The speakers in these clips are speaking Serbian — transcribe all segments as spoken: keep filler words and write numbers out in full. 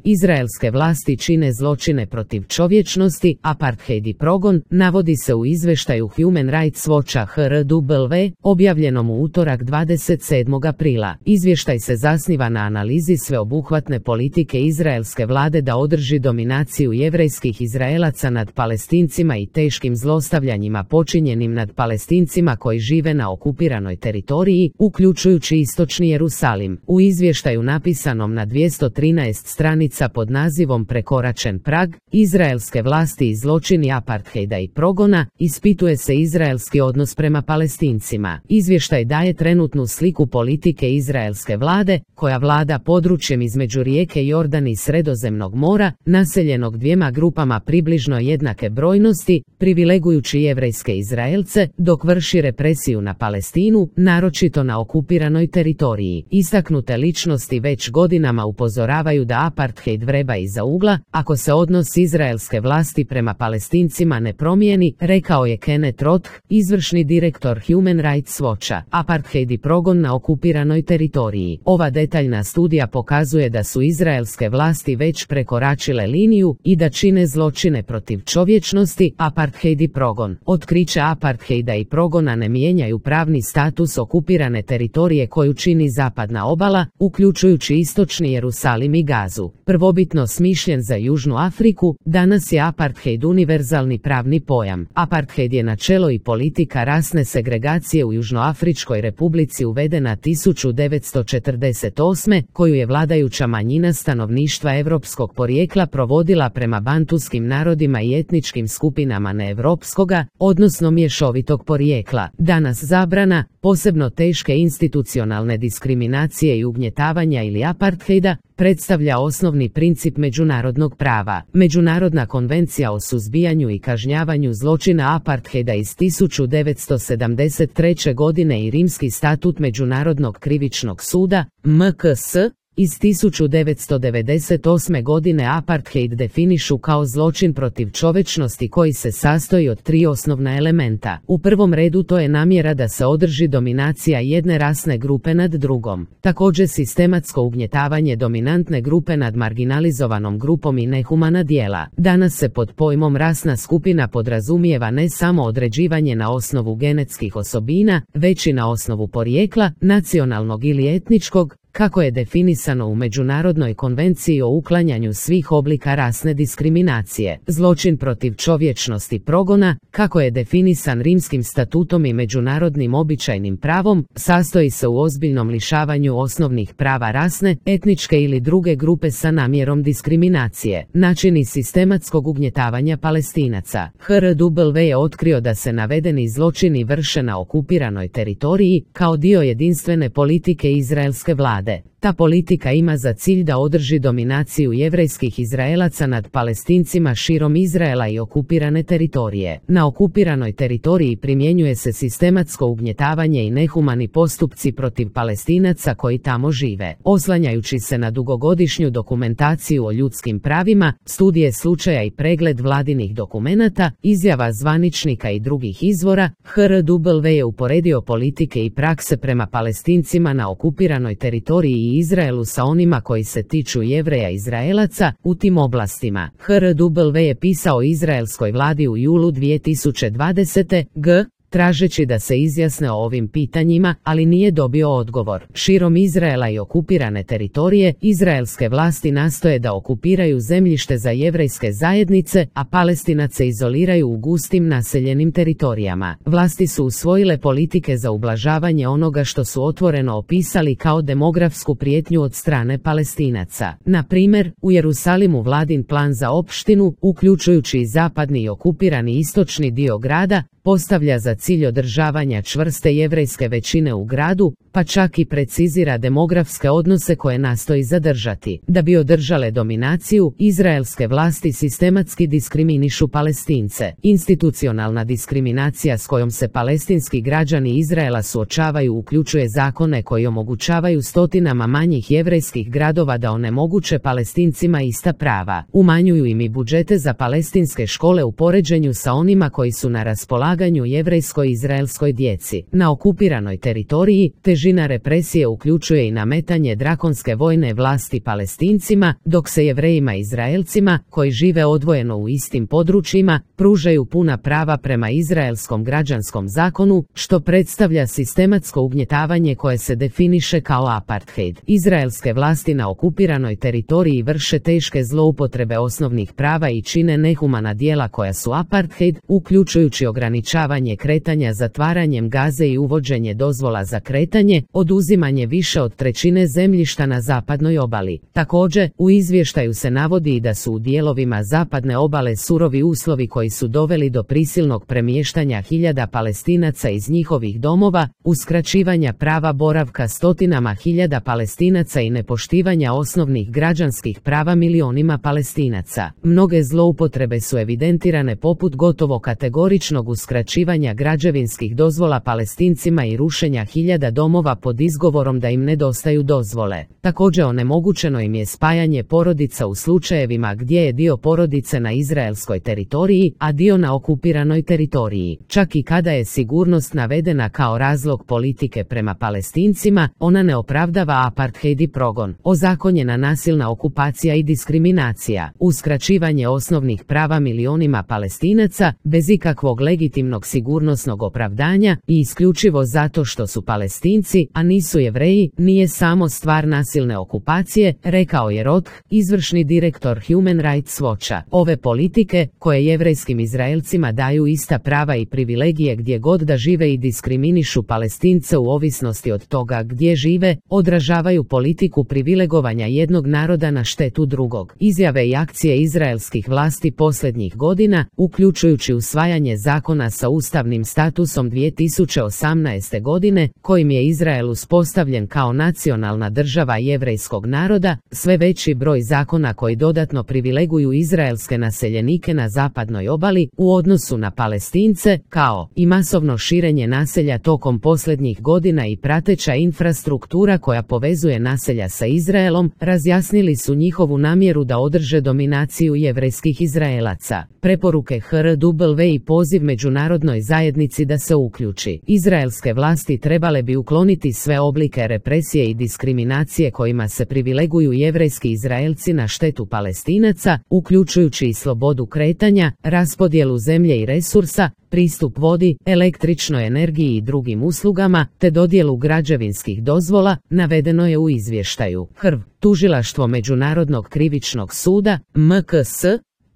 Izraelske vlasti čine zločine protiv čovječnosti, apartheid i progon, navodi se u izvještaju Human Rights Watcha H R W, objavljenom u utorak dvadeset sedmog aprila. Izvještaj se zasniva na analizi sveobuhvatne politike izraelske vlade da održi dominaciju jevrejskih Izraelaca nad Palestincima i teškim zlostavljanjima počinjenim nad Palestincima koji žive na okupiranoj teritoriji, uključujući istočni Jerusalim. U izvještaju napisanom na dvjesto trinaest stranica pod nazivom Prekoračen prag, izraelske vlasti i zločini apartheida i progona, ispituje se izraelski odnos prema Palestincima. Izvještaj daje trenutnu sliku politike izraelske vlade, koja vlada područjem između rijeke Jordan i Sredozemnog mora, naseljenog dvijema grupama približno jednake brojnosti, privilegujući jevrejske Izraelce, dok vrši represiju na Palestinu, naročito na okupiranoj teritoriji. Istaknute ličnosti već godinama upozoravaju da apartheid vreba iza ugla, ako se odnos izraelske vlasti prema Palestincima ne promijeni, rekao je Kenneth Roth, izvršni direktor Human Rights Watcha. Apartheid i progon na okupiranoj teritoriji. Ova detaljna studija pokazuje da su izraelske vlasti već prekoračile liniju i da čine zločine protiv čovječnosti, apartheid i progon. Otkriće apartheida i progona ne mijenjaju pravni status okupirane teritorije koju čini zapadna obala, uključujući istočni Jerusalim i Gazu. Prvobitno smišljen za Južnu Afriku, danas je apartheid univerzalni pravni pojam. Apartheid je načelo i politika rasne segregacije u Južnoafričkoj republici uvedena tisuću devetsto četrdeset osme, koju je vladajuća manjina stanovništva evropskog porijekla provodila prema bantuskim narodima i etničkim skupinama neevropskoga, odnosno mješovitog porijekla. Danas zabrana, posebno teške institucionalne diskriminacije i ugnjetavanja ili apartheida, predstavlja osnovni princip međunarodnog prava. Međunarodna konvencija o suzbijanju i kažnjavanju zločina apartheida iz tisuću devetsto sedamdeset treće godine i Rimski statut Međunarodnog krivičnog suda, M K S, iz tisuću devetsto devedeset osme godine apartheid definišu kao zločin protiv čovječnosti koji se sastoji od tri osnovna elementa. U prvom redu to je namjera da se održi dominacija jedne rasne grupe nad drugom. Također sistematsko ugnjetavanje dominantne grupe nad marginalizovanom grupom i nehumana djela. Danas se pod pojmom rasna skupina podrazumijeva ne samo određivanje na osnovu genetskih osobina, već i na osnovu porijekla, nacionalnog ili etničkog, kako je definisano u Međunarodnoj konvenciji o uklanjanju svih oblika rasne diskriminacije. Zločin protiv čovječnosti progona, kako je definisan Rimskim statutom i međunarodnim običajnim pravom, sastoji se u ozbiljnom lišavanju osnovnih prava rasne, etničke ili druge grupe sa namjerom diskriminacije. Načini sistematskog ugnjetavanja Palestinaca. H R W je otkrio da se navedeni zločini vrše na okupiranoj teritoriji, kao dio jedinstvene politike izraelske vlade. Ta politika ima za cilj da održi dominaciju jevrejskih Izraelaca nad Palestincima širom Izraela i okupirane teritorije. Na okupiranoj teritoriji primjenjuje se sistematsko ugnjetavanje i nehumani postupci protiv Palestinaca koji tamo žive. Oslanjajući se na dugogodišnju dokumentaciju o ljudskim pravima, studije slučaja i pregled vladinih dokumenata, izjava zvaničnika i drugih izvora, H R W je uporedio politike i prakse prema Palestincima na okupiranoj teritoriji i Izraelu sa onima koji se tiču Jevreja Izraelaca u tim oblastima. H R W je pisao izraelskoj vladi u julu dvije tisuće dvadesete. g. tražeći da se izjasne o ovim pitanjima, ali nije dobio odgovor. Širom Izraela i okupirane teritorije, izraelske vlasti nastoje da okupiraju zemljište za jevrejske zajednice, a Palestinace izoliraju u gustim naseljenim teritorijama. Vlasti su usvojile politike za ublažavanje onoga što su otvoreno opisali kao demografsku prijetnju od strane Palestinaca. Na primjer, u Jerusalimu vladin plan za opštinu, uključujući i zapadni i okupirani istočni dio grada, postavlja za cilj održavanja čvrste jevrejske većine u gradu, pa čak i precizira demografske odnose koje nastoji zadržati. Da bi održale dominaciju, izraelske vlasti sistematski diskriminišu Palestince. Institucionalna diskriminacija s kojom se palestinski građani Izraela suočavaju uključuje zakone koji omogućavaju stotinama manjih jevrejskih gradova da onemoguće Palestincima ista prava. Umanjuju im i budžete za palestinske škole u poređenju sa onima koji su na raspolaganju jevrejskoj izraelskoj djeci. Na okupiranoj teritoriji, te Težina represije uključuje i nametanje drakonske vojne vlasti Palestincima, dok se Jevrejima i Izraelcima, koji žive odvojeno u istim područjima, pružaju puna prava prema izraelskom građanskom zakonu, što predstavlja sistematsko ugnjetavanje koje se definiše kao apartheid. Izraelske vlasti na okupiranoj teritoriji vrše teške zloupotrebe osnovnih prava i čine nehumana djela koja su apartheid, uključujući ograničavanje kretanja zatvaranjem Gaze i uvođenje dozvola za kretanje, oduzimanje više od trećine zemljišta na zapadnoj obali. Također, u izvještaju se navodi i da su u dijelovima zapadne obale surovi uslovi koji su doveli do prisilnog premještanja hiljada Palestinaca iz njihovih domova, uskraćivanja prava boravka stotinama hiljada Palestinaca i nepoštivanja osnovnih građanskih prava milionima Palestinaca. Mnoge zloupotrebe su evidentirane poput gotovo kategoričnog uskraćivanja građevinskih dozvola Palestincima i rušenja hiljada domova pod izgovorom da im nedostaju dozvole. Također onemogućeno im je spajanje porodica u slučajevima gdje je dio porodice na izraelskoj teritoriji, a dio na okupiranoj teritoriji. Čak i kada je sigurnost navedena kao razlog politike prema Palestincima, ona ne opravdava apartheid i progon. Ozakonjena nasilna okupacija i diskriminacija, uskraćivanje osnovnih prava milionima Palestinaca bez ikakvog legitimnog sigurnosnog opravdanja i isključivo zato što su Palestinci, a nisu Jevreji, nije samo stvar nasilne okupacije, rekao je Roth, izvršni direktor Human Rights Watcha. Ove politike, koje jevrejskim Izraelcima daju ista prava i privilegije gdje god da žive i diskriminišu Palestince u ovisnosti od toga gdje žive, odražavaju politiku privilegovanja jednog naroda na štetu drugog. Izjave i akcije izraelskih vlasti posljednjih godina, uključujući usvajanje zakona sa ustavnim statusom dvije tisuće osamnaeste godine, kojim je Izrael uspostavljen kao nacionalna država jevrejskog naroda, sve veći broj zakona koji dodatno privileguju izraelske naseljenike na zapadnoj obali u odnosu na Palestince, kao i masovno širenje naselja tokom posljednjih godina i prateća infrastruktura koja povezuje naselja sa Izraelom, razjasnili su njihovu namjeru da održe dominaciju jevrejskih Izraelaca. Preporuke H R W i poziv međunarodnoj zajednici da se uključi. Izraelske vlasti trebale bi ukloniti sve oblike represije i diskriminacije kojima se privileguju jevrejski Izraelci na štetu Palestinaca, uključujući i slobodu kretanja, raspodjelu zemlje i resursa, pristup vodi, električnoj energiji i drugim uslugama, te dodjelu građevinskih dozvola, navedeno je u izvještaju. H R W, Tužilaštvo Međunarodnog krivičnog suda, M K S,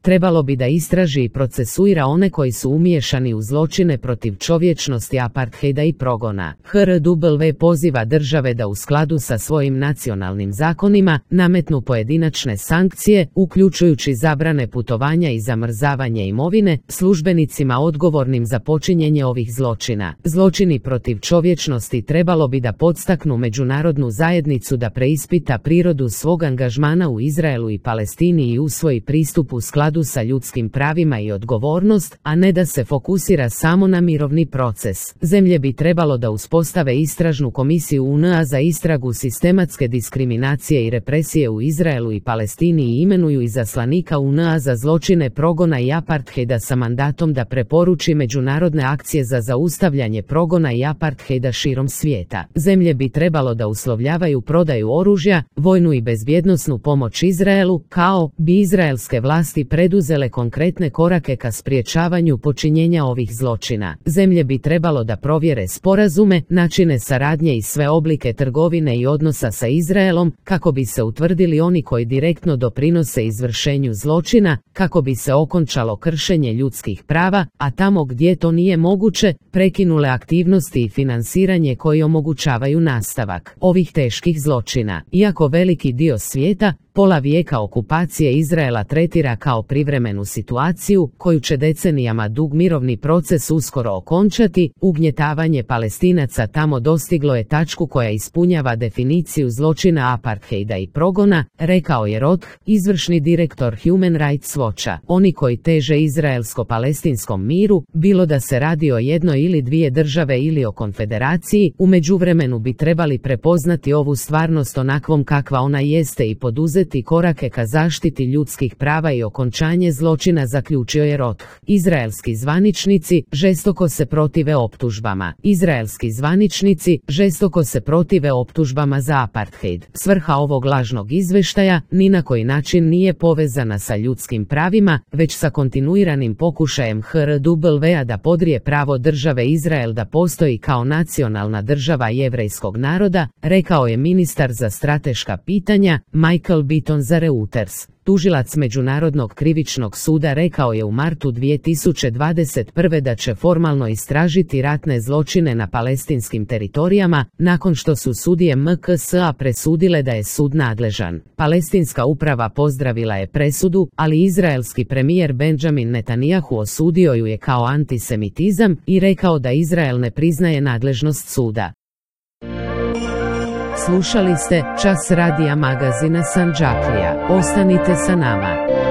trebalo bi da istraži i procesuira one koji su umiješani u zločine protiv čovječnosti apartheida i progona. H R W poziva države da u skladu sa svojim nacionalnim zakonima nametnu pojedinačne sankcije, uključujući zabrane putovanja i zamrzavanje imovine, službenicima odgovornim za počinjenje ovih zločina. Zločini protiv čovječnosti trebalo bi da podstaknu međunarodnu zajednicu da preispita prirodu svog angažmana u Izraelu i Palestini i usvoji pristup u skladu sa ljudskim pravima i odgovornost, a ne da se fokusira samo na mirovni proces. Zemlje bi trebalo da uspostave istražnu komisiju U N A za istragu sistematske diskriminacije i represije u Izraelu i Palestini i imenuju izaslanika U N A za zločine progona i apartheida sa mandatom da preporuči međunarodne akcije za zaustavljanje progona i apartheida širom svijeta. Zemlje bi trebalo da uslovljavaju prodaju oružja, vojnu i bezbjednosnu pomoć Izraelu, kao bi izraelske vlasti preduzele konkretne korake ka spriječavanju počinjenja ovih zločina. Zemlje bi trebalo da provjere sporazume, načine saradnje i sve oblike trgovine i odnosa sa Izraelom, kako bi se utvrdili oni koji direktno doprinose izvršenju zločina, kako bi se okončalo kršenje ljudskih prava, a tamo gdje to nije moguće, prekinule aktivnosti i finansiranje koji omogućavaju nastavak ovih teških zločina. Iako veliki dio svijeta, pola vijeka okupacije Izraela tretira kao privremenu situaciju, koju će decenijama dug mirovni proces uskoro okončati, ugnjetavanje Palestinaca tamo dostiglo je tačku koja ispunjava definiciju zločina apartheida i progona, rekao je Roth, izvršni direktor Human Rights Watcha. Oni koji teže izraelsko-palestinskom miru, bilo da se radi o jednoj ili dvije države ili o konfederaciji, u međuvremenu bi trebali prepoznati ovu stvarnost onakvom kakva ona jeste i poduzeti poduzeti korake ka zaštiti ljudskih prava i okončanje zločina, zaključio je Roth. Izraelski zvaničnici žestoko se protive optužbama. Izraelski zvaničnici žestoko se protive optužbama za apartheid. Svrha ovog lažnog izveštaja ni na koji način nije povezana sa ljudskim pravima, već sa kontinuiranim pokušajem H R W-a da podrije pravo države Izrael da postoji kao nacionalna država jevrejskog naroda, rekao je ministar za strateška pitanja Michael Beaton za Reuters. Tužilac Međunarodnog krivičnog suda rekao je u martu dvije tisuće dvadeset prve da će formalno istražiti ratne zločine na palestinskim teritorijama, nakon što su sudije M K S A presudile da je sud nadležan. Palestinska uprava pozdravila je presudu, ali izraelski premijer Benjamin Netanyahu osudio ju je kao antisemitizam i rekao da Izrael ne priznaje nadležnost suda. Slušali ste Čas radija magazina Sandžaklija. Ostanite sa nama.